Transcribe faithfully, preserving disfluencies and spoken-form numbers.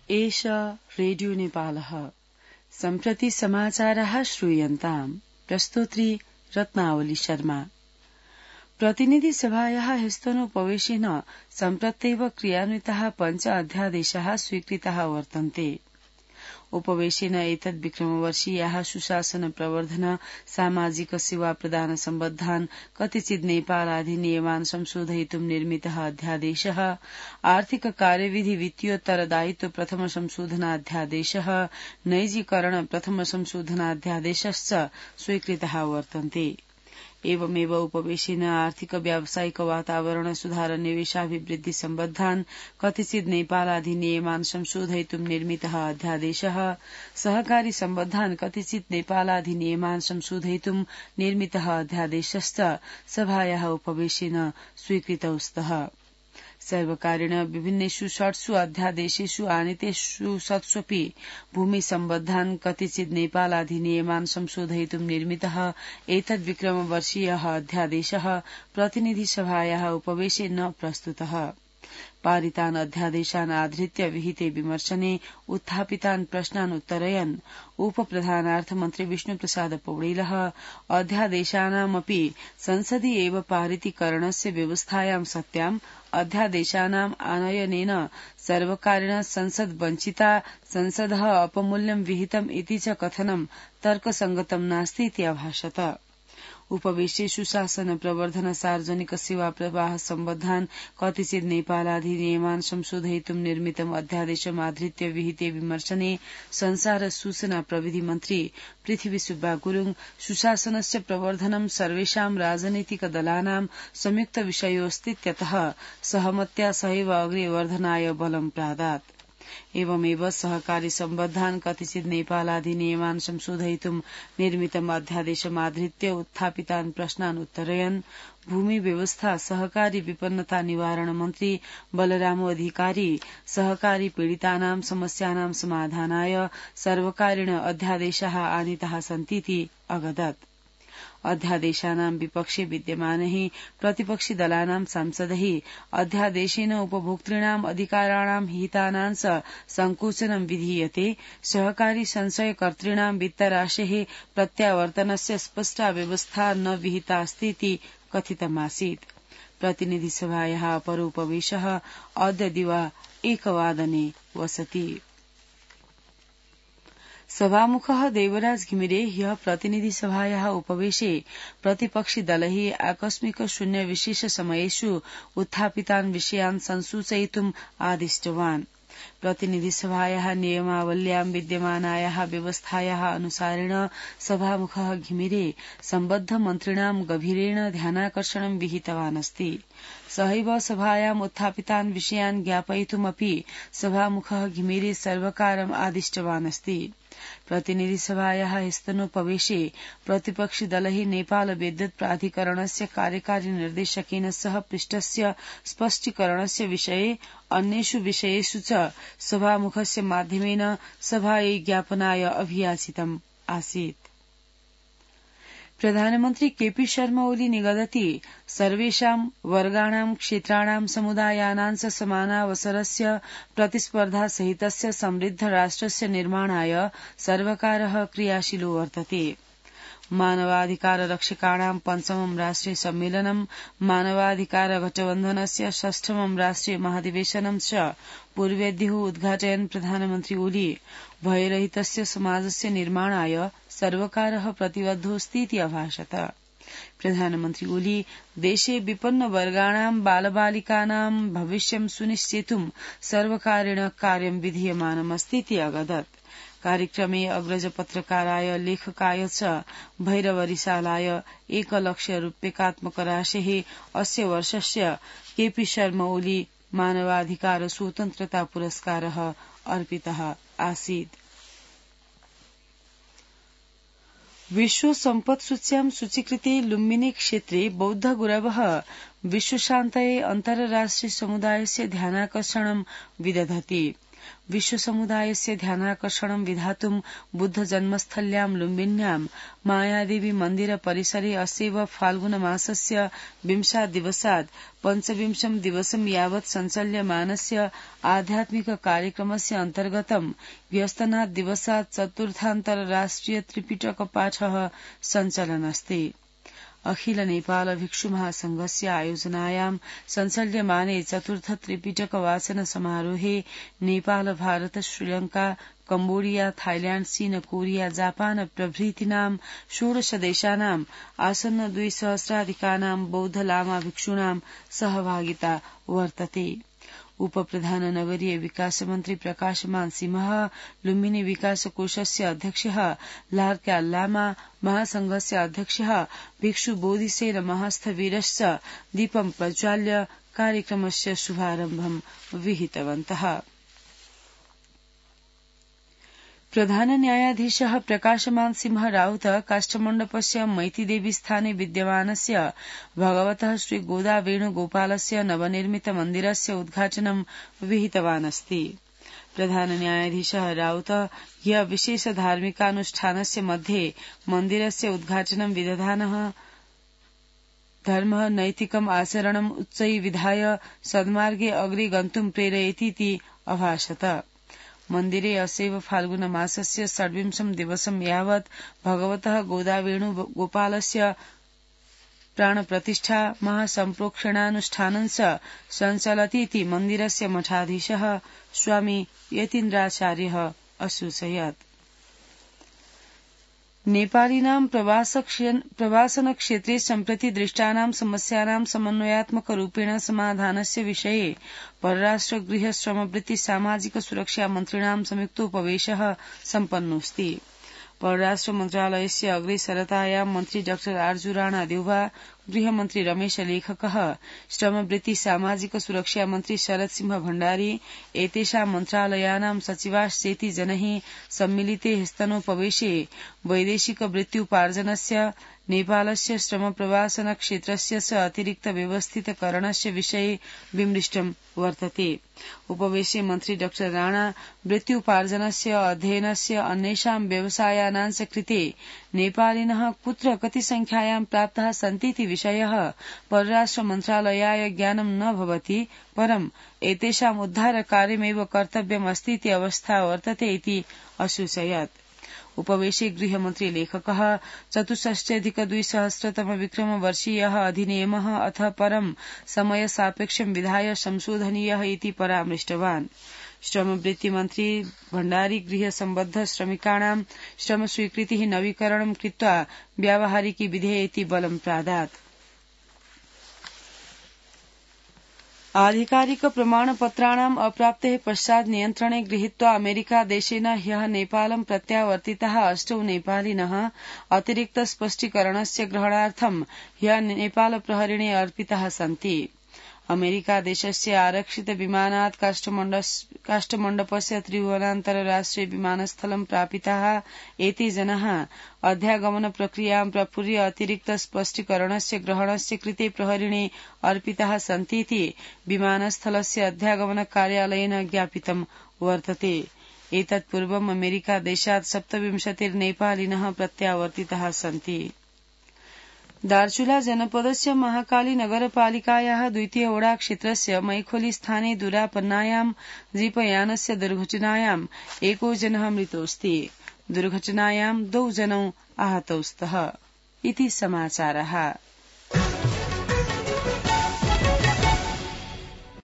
एष रेडियो नेपालः सम्प्रति समाचारः श्रूयन्ताम् प्रस्तोत्री रत्नावली शर्मा। प्रतिनिधि सभायाः ह्यस्तनोपवेशेन सम्प्रत्येव क्रियान्विताः पञ्च अध्यादेशाः स्वीकृताः वर्तन्ते। उपवेशेन एतद् विक्रमवर्षीयाः सुशासन प्रवर्धन सामाजिक सेवा प्रदान सम्बद्धान् कतिचित् नेपालाधिनियमान् संशोधयितुं निर्मितः अध्यादेशः, आर्थिक कार्यविधि वित्तीयोत्तरदायित्व प्रथम संशोधनाध्यादेशः, नैजीकरण प्रथम संशोधनाध्यादेशश्च स्वीकृताः वर्तन्ते। एवमेव उपवेशेन आर्थिक व्यावसायिक वातावरण सुधार निवेशाभिवृद्धि सम्बद्धान् कतिचित् नेपालाधिनियमान् संशोधयितुं निर्मितः अध्यादेशः, सहकारी सम्बद्धान् कतिचित् नेपालाधिनियमान् संशोधयितुं निर्मितः अध्यादेशश्च सभायाः उपवेशेन स्वीकृतौ स्तः। सर्वकारेण विभिन्नेषु षट्सु अध्यादेशेषु आनीतेषु सत्स्वपि भूमि सम्बद्धान् कतिचित् नेपालाधिनियमान् संशोधयितुं निर्मितः एतद्विक्रमवर्षीयः अध्यादेशः प्रतिनिधि सभायाः उपवेशे न प्रस्तुतः। पारितान् अध्यादेशान् आधृत्य विहिते विमर्शने उत्थापितान् प्रश्नान् उत्तरयन् उपप्रधानार्थमन्त्री विष्णुप्रसाद पौडेलः अध्यादेशानामपि संसदि एव पारितीकरणस्य व्यवस्थायां सत्याम् अध्यादेशानाम् आनयनेन सर्वकारेण संसद् वञ्चिता, संसदः अपमूल्यं विहितम् इति च कथनं तर्कसंगतं नास्तीति अभाषत। उपवेशे सुशासन प्रवर्धन सार्वजनिक सेवा प्रवाह सम्बद्धान् कतिचित् नेपालाधिनियमान् संशोधयितुं निर्मितम् अध्यादेशमाधृत्य विहिते विमर्शने संचार सूचना प्रविधि मन्त्री पृथ्वी सुब्बा गुरुङ सुशासनस्य प्रवर्धनं सर्वेषां राजनैतिक दलानां संयुक्त विषयोऽस्तीत्यतः सहमत्या सहैव अग्रे वर्धनाय बलं प्रादात्। एवमेव सहकारी सम्बद्धान् कतिचित् नेपालाधिनियमान् संशोधयितुं निर्मितम् अध्यादेशमाधृत्य उत्थापितान् प्रश्नान् उत्तरयन् भूमि व्यवस्था सहकारी विपन्नता निवारण मन्त्री बलराम अधिकारी सहकारी पीडितानां समस्यानां समाधानाय सर्वकारेण अध्यादेशाः आनीताः सन्तीति अगदत्। अध्यादेशानां विपक्षे विद्यमानैः प्रतिपक्षि दलानां सांसदैः अध्यादेशेन उपभोक्तॄणाम् अधिकाराणां हितानां च संकोचनं विधीयते, सहकारी संशयकर्तॄणां वित्तराशेः प्रत्यावर्तनस्य स्पष्टा व्यवस्था न विहितास्तीति कथितमासीत्। प्रतिनिधिसभायाः अपरोपवेशः अद्य दिवा एकवादने वसति। सभामुखः देवराज घिमिरे ह्यः प्रतिनिधिसभायाः उपवेशे प्रतिपक्षि दलैः आकस्मिक शून्य विशेष समयेषु उत्थापितान् विषयान् संसूचयितुम् आदिष्टवान्। प्रतिनिधिसभायाः नियमावल्यां विद्यमानायाः व्यवस्थायाः अनुसारेण सभामुखः घिमिरे सम्बद्ध मन्त्रिणां गभीरेण ध्यानाकर्षणं विहितवान् अस्ति। सहैव सभायाम् उत्थापितान् विषयान् ज्ञापयितुमपि सभामुखः घिमिरे सर्वकारम् आदिष्टवान् अस्ति। प्रतिनिधिसभायाः ह्यस्तनोपवेशे प्रतिपक्षि दलैः नेपाल विद्युत् प्राधिकरणस्य कार्यकारी निर्देशकेन सह पृष्ठस्य स्पष्टीकरणस्य विषये अन्येषु विषयेषु च सभामुखस्य माध्यमेन सभायै ज्ञापनाय अभियाचितम् आसीत्। प्रधानमन्त्री केपी शर्मा ओली निगदति सर्वेषां वर्गाणां क्षेत्राणां समुदायानां च समानावसरस्य प्रतिस्पर्धा सहितस्य समृद्ध राष्ट्रस्य निर्माणाय सर्वकारः क्रियाशीलो वर्तते। मानवाधिकार रक्षकाणां पञ्चमं राष्ट्रिय सम्मेलनं मानवाधिकार गठबन्धनस्य षष्ठमं राष्ट्रिय महाधिवेशनं च पूर्वेद्युः उद्घाटयन् प्रधानमन्त्री ओली भयरहितस्य समाजस्य निर्माणाय सर्वकारः प्रतिबद्धोऽस्तीति अभाषत। प्रधानमन्त्री ओली देशे विपन्न वर्गाणां बालबालिकानां भविष्यं सुनिश्चेतुं सर्वकारेण कार्यं विधीयमानमस्तीति अगदत्। कार्यक्रमे अग्रज पत्रकाराय लेखकाय च भैरवरिसालाय एकलक्ष रूप्यकात्मक राशेः अस्य वर्षस्य केपी शर्मा ओली मानवाधिकार स्वतन्त्रता पुरस्कारः अर्पितः आसीत्। विश्व सम्पत् सूच्यां सूचीकृते लुम्बिनी क्षेत्रे बौद्ध गुरवः विश्वशान्तये अन्तर्राष्ट्रिय समुदायस्य ध्यानाकर्षणं विदधति। विश्वसमुदायस्य ध्यानाकर्षणं विधातुं बुद्धजन्मस्थल्यां लुम्बिन्यां मायादेवी मन्दिर परिसरे अस्यैव फाल्गुनमासस्य विंशात् दिवसात् पञ्चविंशं दिवसं यावत् सञ्चाल्यमानस्य आध्यात्मिक कार्यक्रमस्य अन्तर्गतं व्यस्तनात् दिवसात् चतुर्थान्तरराष्ट्रिय त्रिपिटकपाठः सञ्चलन्नस्ति। अखिल नेपाल भिक्षु महासंघस्य आयोजनायां सञ्चाल्यमाने चतुर्थ त्रिपिटक वाचन समारोहे नेपाल भारत श्रीलंका कम्बोडिया थाइल्याण्ड चीन कोरिया जापान प्रभृतीनां षोडश देशानां आसन्न द्विसहस्राधिकानां बौद्ध लामा भिक्षूणां सहभागिता वर्तते। उपप्रधान नगरीय विकास मन्त्री प्रकाशमान सिंह, लुम्बिनी विकास कोषस्य अध्यक्षः लार्क्या लामा, महासंघस्य अध्यक्षः भिक्षु बोधिसेन महस्थवीरश्च दीपं प्रज्वाल्य कार्यक्रमस्य शुभारम्भं विहितवन्तः। प्रधान न्यायाधीशः प्रकाशमान सिंह राउत काष्ठमण्डपस्य मैतीदेवी स्थाने विद्यमानस्य भगवतः श्री गोदा वेणुगोपालस्य नवनिर्मित मन्दिरस्य उद्घाटनं विहितवान् अस्ति। प्रधान न्यायाधीशः राउत ह्य विशेष धार्मिकानुष्ठानस्य मध्ये मन्दिरस्य उद्घाटनं विदधानः धर्मः नैतिकम् आचरणम् उच्चै विधाय सन्मार्गे अग्रे गन्तुं प्रेरयतीति अभाषत। मन्दिरे असैव फाल्गुन मासस्य षड्विंशं दिवसं यावत् भगवतः गोदावेणु गोपालस्य प्राणप्रतिष्ठा महासम्प्रोक्षणानुष्ठानं च सञ्चलतीति मन्दिरस्य मठाधीशः स्वामी यतीन्द्राचार्यः असूचयत्। नेपालीनां प्रवासनक्षेत्रे सम्प्रति दृष्टानां समस्यानां समन्वयात्मकरूपेण समाधानस्य विषये परराष्ट्र गृह श्रमवृत्ति सामाजिक सुरक्षा मन्त्रिणां संयुक्तोपवेशः सम्पन्नोऽस्ति। परराष्ट्र मन्त्रालयस्य अग्रेसरतायां मन्त्री डाक्टर आर्जू राणा देउवा, गृहमन्त्री रमेश लेखकः, श्रमवृत्ति सामाजिक सुरक्षा मन्त्री शरद सिंह भण्डारी एतेषां मन्त्रालयानां सचिवाश्चेति जनैः सम्मिलिते स्तनोपवेशे वैदेशिक वृत्त्युपार्जनस्य नेपालस्य श्रम प्रवासन क्षेत्रस्य च अतिरिक्त व्यवस्थितकरणस्य विषये विमृष्टं वर्तते। उपवेशे मन्त्री डाक्टर राणा वृत्त्युपार्जनस्य अध्ययनस्य अन्येषां व्यवसायानां च कृते नेपालिनः कुत्र कति संख्यायां प्राप्ताः सन्तीति विषयः परराष्ट्र मन्त्रालयाय ज्ञानं न भवति, परं एतेषाम् उद्धारकार्यमेव कर्तव्यमस्तीति अवस्था वर्तते इति असूचयत्। उपवेशे गृहमन्त्री लेखकः चतुष्षष्ट्यधिक द्विसहस्रतम विक्रमवर्षीयः अधिनियमः अथ परं समय सापेक्षं विधाय संशोधनीयः इति परामृष्टवान्। श्रमवृत्तिमन्त्री भण्डारी गृह सम्बद्ध श्रमिकाणां श्रमस्वीकृतिः नवीकरणं कृत्वा व्यावहारिकी विधेयेति बलं प्रादात्। आधिकारिक प्रमाणपत्राणाम् अप्राप्तेः पश्चात् नियन्त्रणे गृहीत्वा अमेरिका देशेन ह्यः नेपालं प्रत्यावर्तिताः अष्टौ नेपालिनः अतिरिक्त स्पष्टीकरणस्य ग्रहणार्थं ह्यः नेपाल प्रहरिणे अर्पिताः सन्ति। अमेरिका देशस्य आरक्षित विमानात् काष्ठमण्डपस्य त्रिभुवनान्तरराष्ट्रिय विमानस्थलं प्रापिताः एते जनाः अध्यागमन प्रक्रियां प्रपूर्य अतिरिक्त स्पष्टीकरणस्य ग्रहणस्य कृते प्रहरिणे अर्पिताः सन्तीति विमानस्थलस्य अध्यागमन कार्यालयेन ज्ञापितं वर्तते। एतत् पूर्वम् अमेरिका देशात् सप्तविंशतिर्नेपालिनः प्रत्यावर्तिताः सन्ति। दार्चुला जनपदस्य महाकाली नगरपालिकायाः द्वितीय ओडा क्षेत्रस्य मैखोली स्थाने दुरापन्नायां जीपयानस्य दुर्घटनायां एको जनः मृतोऽस्ति। दुर्घटनायां द्वौ जनौ आहतौ स्तः इति समाचारः।